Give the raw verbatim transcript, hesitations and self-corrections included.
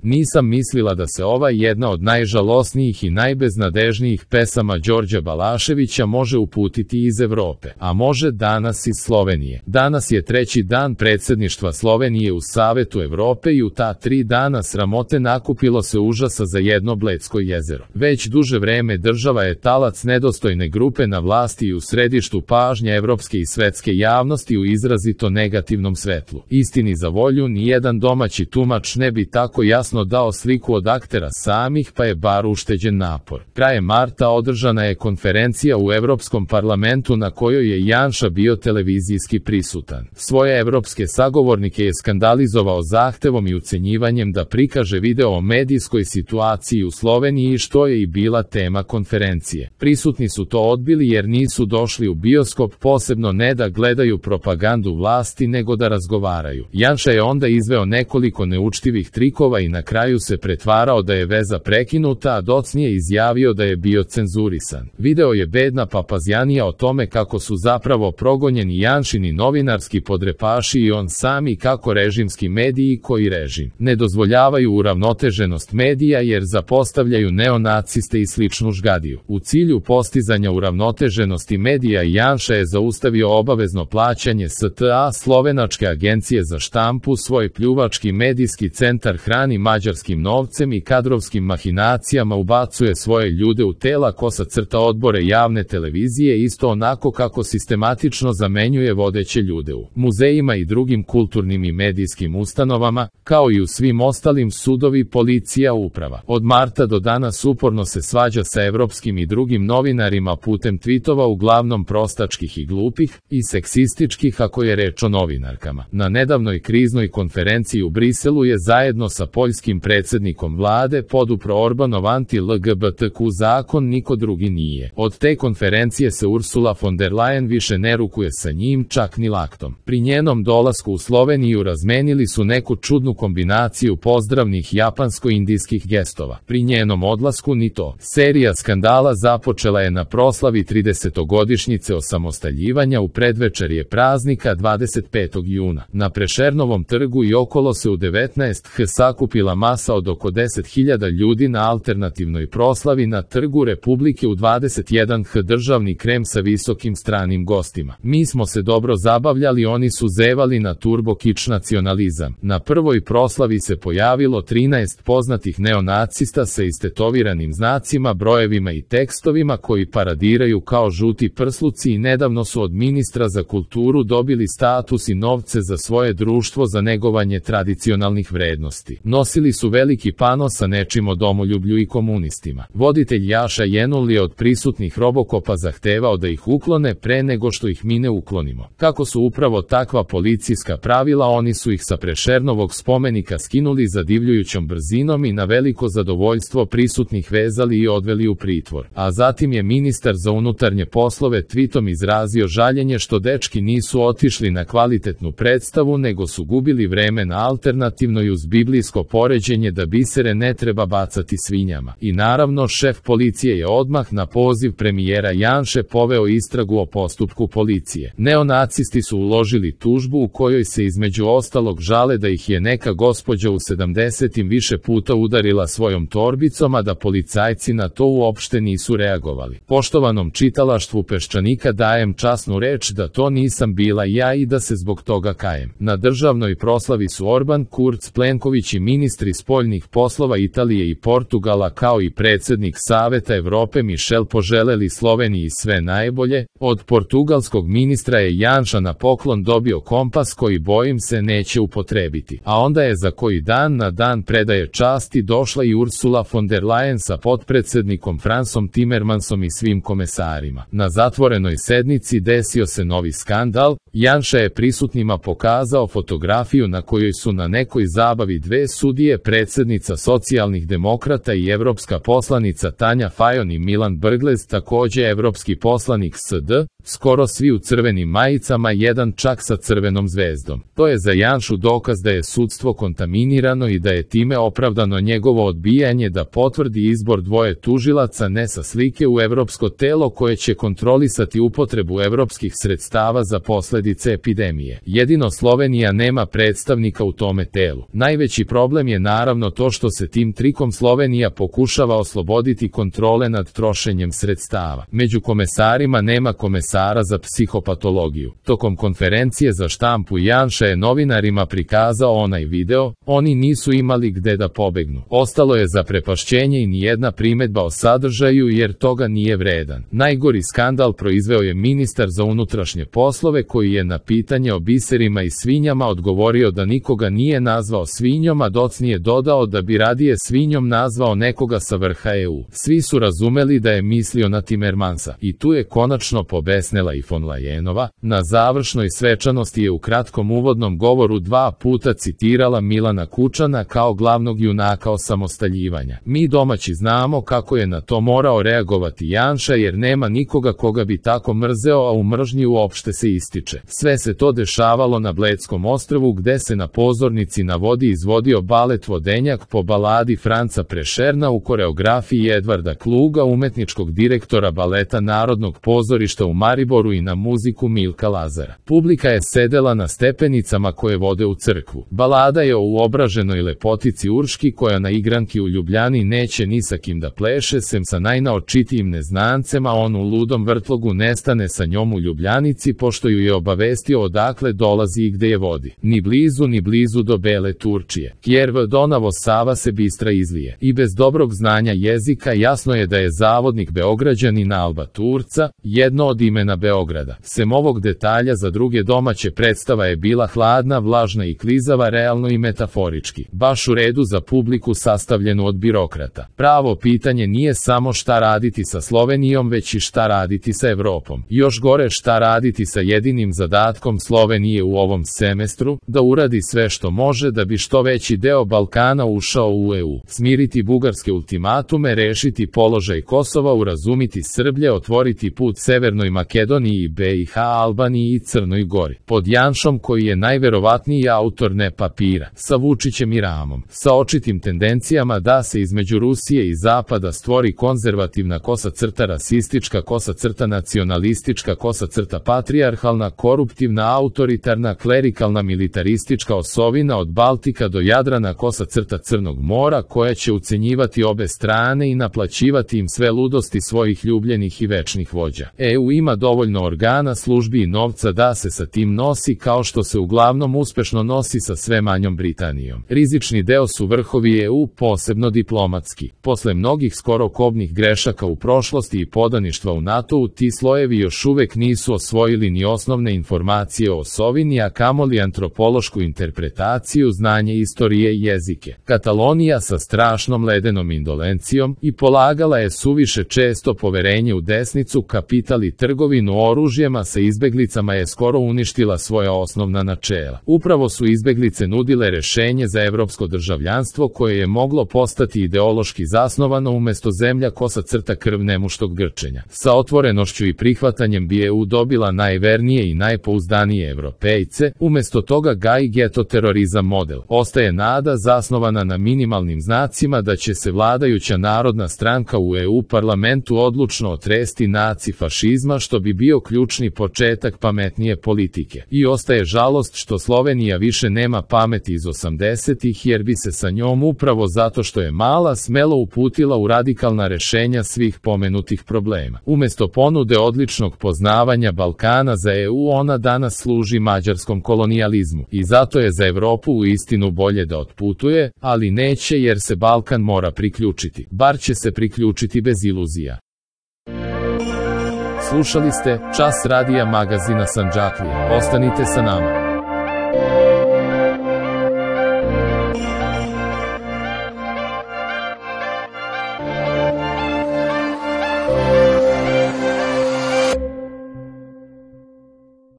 Nisam mislila da se ova jedna od najžalosnijih i najbeznadežnijih pesama Đorđa Balaševića može uputiti iz Evrope, a može danas iz Slovenije. Danas je treći dan predsjedništva Slovenije u Savetu Evrope i u ta tri dana sramote nakupilo se užasa za jedno Bledsko jezero. Već duže vreme država je talac nedostojne grupe na vlasti i u središtu pažnje evropske i svetske javnosti u izrazito negativnom svetlu. Istini za volju, nijedan domaći tumač ne bi tako jasno dao sliku od aktera samih, pa je bar ušteđen napor. Krajem marta održana je konferencija u Evropskom parlamentu na kojoj je Janša bio televizijski prisutan. Svoje evropske sagovornike je skandalizovao zahtevom i ucenjivanjem da prikaže video o medijskoj situaciji u Sloveniji, što je i bila tema konferencije. Prisutni su to odbili jer nisu došli u bioskop, posebno ne da gledaju propagandu vlasti nego da razgovaraju. Janša je onda izveo nekoliko neučtivih trikova i na kraju se pretvarao da je veza prekinuta, a docnije izjavio da je bio cenzurisan. Video je bedna papazjanija o tome kako su zapravo progonjeni Janšini novinarski podrepaši i on sami, kako režimski mediji koji režim ne dozvoljavaju uravnoteženost medija jer zapostavljaju neonaciste i sličnu žgadiju. U cilju postizanja uravnoteženosti medija Janša je zaustavio obavezno plaćanje S T A, slovenačke agencije za štampu. Svoj pljuvački medijski centar hrani mađarskim novcem i kadrovskim mahinacijama, ubacuje svoje ljude u tela kosa crta odbore javne televizije, isto onako kako sistematično zamenjuje vodeće ljude u muzejima i drugim kulturnim i medijskim ustanovama, kao i u svim ostalim sudovi, policija, uprava. Od marta do danas uporno se svađa sa evropskim i drugim novinarima putem tvitova, uglavnom prostačkih i glupih, i seksističkih ako je reč o novinarkama. Na nedavnoj kriznoj konferenciji u Briselu je zajedno sa poljskim predsjednikom vlade podupro Orbanov anti-L G B T Q zakon, niko drugi nije. Od te konferencije se Ursula von der Leyen više ne rukuje sa njim, čak ni laktom. Pri njenom dolasku u Sloveniju razmenili su neku čudnu kombinaciju pozdravnih japansko-indijskih gestova. Pri njenom odlasku ni to. Serija skandala započela je na proslavi tridesetogodišnjice osamostaljivanja u predvečerje praznika dvadeset petog juna. Na Prešernovom trgu i okolo se u devetnaest h sakupila masa od oko deset hiljada ljudi na alternativnoj proslavi na Trgu Republike u dvadeset jedan h, državni krem sa visokim stranim gostima. Mi smo se dobro zabavljali, oni su zevali na turbo kič nacionalizam. Na prvoj proslavi se pojavilo trinaest poznatih neonacista sa istetoviranim znacima, brojevima i tekstovima koji paradiraju kao žuti prsluci i nedavno su od ministra za kulturu dobili status i novce za svoje društvo za negovanje tradicionalnih vrednosti. Nosili su veliki pano sa nečim o domoljublju i komunistima. Voditelj Jaša Jenul je od prisutnih Robokopa zahtevao da ih uklone pre nego što ih mi ne uklonimo. Kako su upravo takva policijska pravila, oni su ih sa Prešernovog spomenika skinuli zadivljujućom brzinom i na veliko zadovoljstvo prisutnih vezali i odveli u pritvor. A zatim je ministar za unutarnje poslove tvitom izrazio žaljenje što dečki nisu otišli na kvalitetnu predstavu nego su gubili vreme na alternativno i uz biblijsko poređenje da bisere ne treba bacati svinjama. I naravno, šef policije je odmah na poziv premijera Janše poveo istragu o postupku policije. Neonacisti su uložili tužbu u kojoj se između ostalog žale da ih je neka gospođa u sedamdesetim više puta udarila svojom torbicom, a da policajci na to uopšte nisu reagovali. Poštovanom čitalaštvu Peščanika dajem časnu reč da to nisam bila ja i da se zbog toga kajem. Na državnoj proslavi su Orban, Kurz, Plenković i ministri spoljnih poslova Italije i Portugala kao i predsjednik Saveta Evrope Michel poželeli Sloveniji sve najbolje. Od portugalskog ministra je Janša na poklon dobio kompas koji, bojim se, neće upotrebiti. A onda je za koji dan na dan predaje časti došla i Ursula von der Leyen sa potpredsjednikom Fransom Timmermansom i svim komesarima. Na zatvorenoj sednici desio se novi skandal. Janša je prisutnima pokazao fotografiju na kojoj su na nekoj zabavi dve sudije, predsjednica socijalnih demokrata i evropska poslanica Tanja Fajon i Milan Brglez, također evropski poslanik S D, skoro svi u crvenim majicama, jedan čak sa crvenom zvezdom. To je za Janšu dokaz da je sudstvo kontaminirano i da je time opravdano njegovo odbijanje da potvrdi izbor dvoje tužilaca ne sa slike u evropsko telo koje će kontrolisati upotrebu evropskih sredstava za posljedice epidemije. Jedino Slovenija nema predstavnika u tome telu. Najveći problem je naravno to što se tim trikom Slovenija pokušava osloboditi kontrole nad trošenjem sredstava. Među komesarima nema komesara za psihopatologiju. Tokom konferencije za štampu Janša je novinarima prikazao onaj video, oni nisu imali gde da pobegnu. Ostalo je zaprepašćenje i nijedna primedba o sadržaju jer toga nije vredan. Najgori skandal proizveo je ministar za unutrašnje poslove koji je na pitanje o biserima i svinjama odgovorio da nikoga nije nazvao svinjom, a docnije dodao da bi radije svinjom nazvao nekoga sa vrha E U. Svi su razumeli da je mislio na Timmermansa. I tu je konačno pobesnela i von Leyenova. Na završnoj svečanosti je u kratkom uvodnom govoru dva puta citirala Milana Kučana kao glavnog junaka osamostaljivanja. Mi domaći znamo kako je na to morao reagovati Janša jer nema nikoga koga bi tako mrzeo, a u mržnji uopšte se ističe. Sve se to dešavalo na Bledskom ostrvu gde se na pozornici na vodi izvodio balet Vodenjak po baladi Franca Prešerna u koreografiji Edvarda Kluga, umetničkog direktora baleta Narodnog pozorišta u Mariboru i na muziku Milka Lazara. Publika je sedela na stepenicama koje vode u crkvu. Balada je o uobraženoj lepotici Urški koja na igranki u Ljubljani neće ni sa kim da pleše sem sa najnaočitijim neznancem, a on u ludom vrtlogu nestane sa njom u Ljubljanici pošto ju je obavestio odakle dolazi i gde je vodi. Ni blizu ni blizu do Bele Turčije. Kjer v Donavo Sava se bistra izlije. I bez dobrog znanja jezika jasno je da je zavodnik Beograđanin Alba Turca, jedno od imena Beograda. Sem ovog detalja za druge domaće predstava je bila hladna, vlažna i klizava, realno i metaforički. Baš u redu za publiku sastavljenu od birokrata. Pravo pitanje nije samo šta raditi sa Slovenijom, već i šta raditi sa Evropom. Još gore šta raditi sa jedinim zadatkom Slovenije u ovom semestru, da uradi sve što može da bi što veći deo Balkana ušao u E U. Smiriti bugarske ultimatume, rešiti položaj Kosova, urazumiti Srblje, otvoriti put Severnoj Makedoniji i B i H, Albaniji i Crnoj Gori. Pod Janšom koji je najverovatniji autor ne papira, sa Vučićem i Ramom, sa očitim tendencijama da se između Rusije i Zapada stvori konzervativna kosa crta, rasistička kosa crta, nacionalistička kosa crta, patrijarhalna, koruptivna, autoritarna, klerikalna, militaristička osovina od Baltika do Jadrana, kosa crta Crnog mora koja će ucenjivati obe strane i naplaćivati im sve ludosti svojih ljubljenih i večnih vođa. E U ima dovoljno organa, službi i novca da se sa tim nosi kao što se uglavnom uspešno nosi sa sve manjom Britanijom. Rizični deo su vrhovi E U, posebno diplomatski. Posle mnogih skoro kobnih grešaka u prošlosti i podaništva u NATO-u, ti slojevi još uvek nisu osvojili ni osnovne informacije o osovini, a kamoli antropološku interpretaciju, znanje istorije i jezike. Katalonija sa strašnom ledenom indolencijom i polagala je suviše često poverenje u desnicu, kapital i trgovinu oružjema sa izbeglicama je skoro uništila svoja osnovna načela. Upravo su izbeglice nudile rešenje za evropsko državljanstvo koje je moglo postati ideološki zasnovano umesto zemlja kosa crta krv nemuštog grčenja. Sa otvorenošću i prihvatanjem bi E U dobila najvernije i najpouzdanije Evropejce, umesto toga gaji geto terorizam model. Ostaje nada zasnovana na minimalnim znacima da će se vladajuća Narodna stranka u E U parlamentu odlučno otresti naci-fašizma što bi bio ključni početak pametnije politike. I ostaje žalost što Slovenija više nema pameti iz osamdesetih jer bi se sa njom upravo zato što je mala smelo uputila u radikalna rešenja svih pomenutih problema. Umesto ponude odličnog poznavanja Balkana za E U ona danas služi mađarskom kolonijalizmu i zato je za Evropu u istinu bolje da otputuje, ali neće jer se Balkan mora priključiti. Bar će se priključiti bez iluzija. Slušali ste Čas radija magazina Sandžaklija. Ostanite sa nama.